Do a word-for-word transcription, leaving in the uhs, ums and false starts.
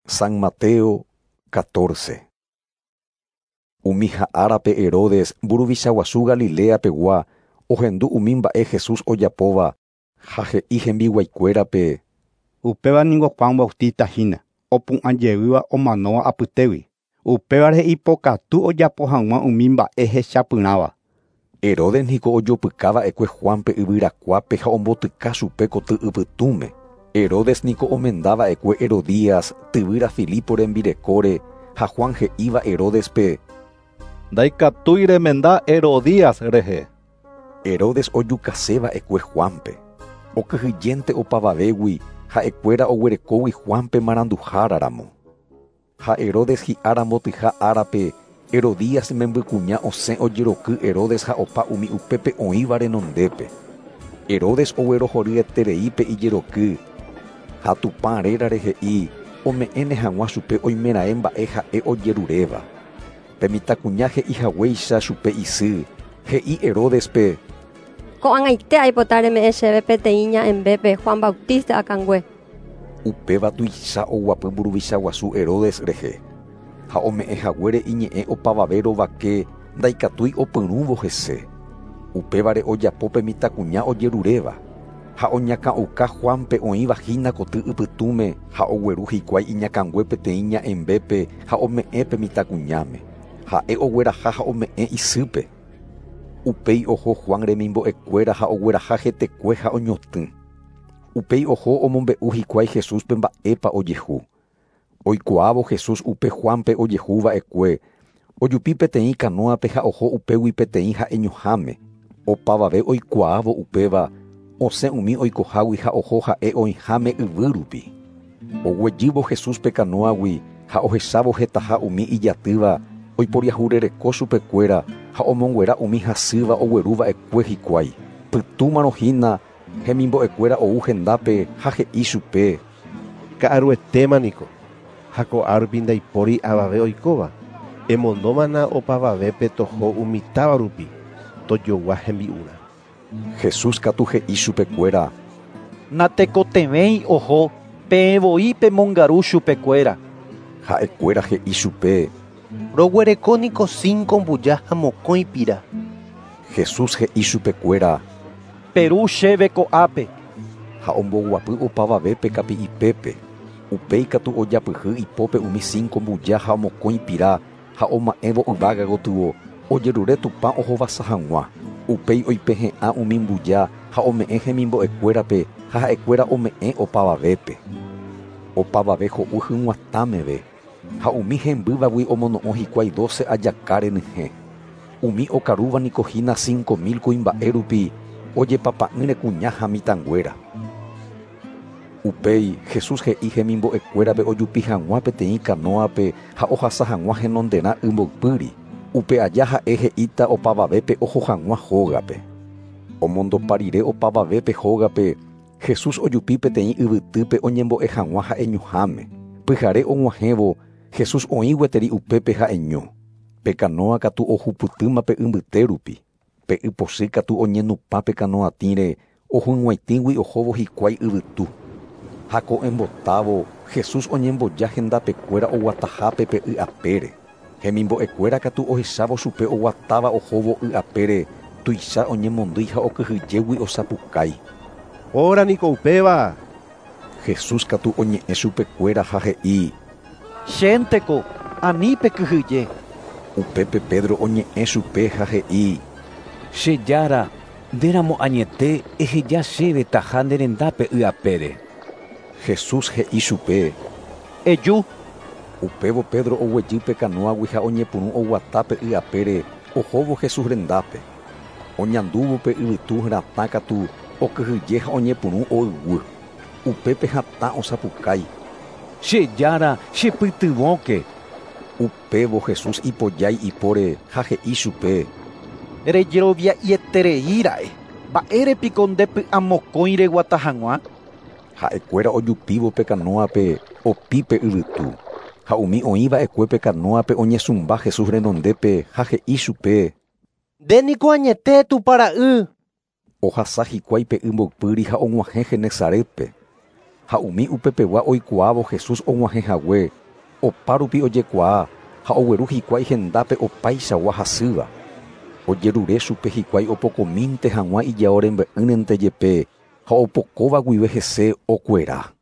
San Mateo catorce. Umi árape Herodes mburuvicha guasu Galilea pegua ohendu umi mba'e Jesús ojapóva ha he'i hembiguaikuérape. Upéva ningo Juan Bautista hína, opu'ãjeýva omanóva apytégui. Upévare ipokatu ojapo hag̃ua umi mba'e hechapyrãva. Herodes niko ojopykava'ekue Juanpe yvyrakuápe ha ombotyka chupe koty ypytũme. Herodes niko omendava'ekue Herodías tyvýra Filipo rembirekóre ha Juan he'íva Herodespe: Ndaikatúi remenda Herodías rehe. Herodes ojukaseva'ekue Juanpe. Okyhyjénte opavavégui ha'ekuéra oguerekógui Juanpe maranduháraramo. Ha Herodes hi'ára mbotyha árape Herodías membykuña osẽ ojeroky Herodes ha opa umi upépe oĩva renondépe. Herodes oguerohoryetereípe ijeroky ha Tupã rérare he'i ome'ẽne hag̃ua chupe oimeraẽ mba'e ha'e ojeruréva. Pe mitãkuña he'ihaguéicha chupe isy, he'i Herodespe: Ko'ag̃aite aipota reme'ẽ chéve peteĩ ña'ẽmbépe Juan Bautista akãngue. Upéva tuicha oguapy mburuvicha guasu Herodes rehe. Ha ome'ẽhaguére iñe'ẽ opavave rovake ndaikatúi opyrũvo hese. Upévare ojapo pe mitãkuña ojeruréva. Ha oñakã'uka Juanpe oĩva hína koty ypytũme ha ogueru hikuái iñakãngue peteĩ ña'ẽmbépe ha ome'ẽ pe mitãkuñáme. Ha'e ogueraha ha ome'ẽ isýpe. Upéi oho Juan remimbo'ekuéra ha ogueraha hetekue ha oñotỹ. Upéi oho omombe'u hikuái Jesúspe mba'épa ojehu. Oikuaávo Jesús upe Juanpe ojehuva'ekue, ojupi peteĩ kanóape ha oho upégui peteĩ ha'eñoháme. Opavave oikuaávo upéva, osẽ umi oikohágui ha oho ha'e oĩháme yvýrupi. Oguejývo Jesúspe kanóagui ha ohechávo hetaha umi ijatýva, oiporiahurereko chupekuéra ha omonguera umi hasýva ogueruva'ekue hikuái. Pytũmarõ hína hemimbo'ekuéra ou hendápe ha he'i chupe: Ka'aruetéma niko, ha ko'árupi ndaipóri avave oikóva. Emondómana opavavépe toho umi táva rupi, tojogua hembi'úrã. Jesús katu he'i chupekuéra: Natekotevẽi oho, peẽ voi pemongaru chupekuéra. Ha'ekuéra he'i chupe: Roguereko niko cinco mbuja ha mokõi pira. Jesús he'i chupekuéra: Peru chéve ko'ápe. Ha omboguapy opavavépe kapi'ipépe. Upéi katu ojapyhy ipópe umi cinco mbuja ha mokõi pira ha oma'ẽvo yvága gotyo ojerure Tupã ohovasa hag̃ua. Upéi oipehe'ã umi mbuja ha ome'ẽ hemimbo'ekuérape ha ha'ekuéra ome'ẽ opavavépe. Opavave ho'u hyg̃uatãmeve ha umi hembývagui omono'õ hikuái doce ajaka renyhẽ. Umi okarúva niko hína cinco mil kuimba'e rupi ojepapa'ỹre kuña ha mitãnguéra. Upéi Jesús he'i hemimbo'ekuérape ojupi hag̃ua peteĩ kanóape ha ohasa hag̃ua henonderã ymboypýri. Upe aja ha'e he'íta opavavépe oho hag̃ua hógape. Omondopa rire opavavépe hógape, Jesús ojupi peteĩ yvytýpe oñembo'e hag̃ua ha'eñoháme. Pyhare og̃uahẽvo, Jesús oĩ gueteri upépe ha'eño. Pe kanóa katu ohupytýma pe ymbyte rupi. Pe ypochy katu oñenupã pe kanoatĩre ohug̃uaitĩgui ohóvo hikuái yvytu. Ha ko'ẽmbotávo, Jesús oñemboja hendapekuéra oguatahápe pe y apére. Hemimbo'ekuéra katu ohechávo chupe oguatáva ohóvo y apére, tuicha oñemondýi ha okyhyjégui osapukái. Óra niko upéva. Jesús katu oñe'ẽ chupekuéra ha he'i: Chénteko, ani pekyhyje. Upépe Pedro oñe'ẽ chupe ha he'i: Che jára, ndéramo añete eheja chéve taha nde rendápe y apére. Jesús he'i chupe: Eju. Upévo Pedro oguejy pe kanóagui ha oñepyrũ oguata pe y apére ohóvo Jesús rendápe. Oñandúvo pe yvytu ratã katu okyhyje ha oñepyrũ oyguy. Upépe hatã osapukái: Che jára, chepytyvõke. Upévo Jesús ipojái ipóre ha he'i chupe: Rejerovia'ietereíra'e, mba'érepiko ndepy'amokõi reguata hag̃ua? Ha'ekuéra ojupívo pe kanóape opi pe yvytu. Ha umi oĩva'ekue pe kanóape oñesũmba Jesús renondépe ha he'i chupe: Nde niko añete Tupã ra'y. Ohasa hikuái pe y mboypýri ha og̃uahẽ Genesaretpe. Ha umi upepegua oikuaávo Jesús og̃uahẽhague, opárupi ojekuaa ha ogueru hikuái hendápe opaichagua hasýva. Ojerure chupe hikuái opokomínte hag̃ua ijao rembe'ýrente jepe ha opokóva guive hese okuera.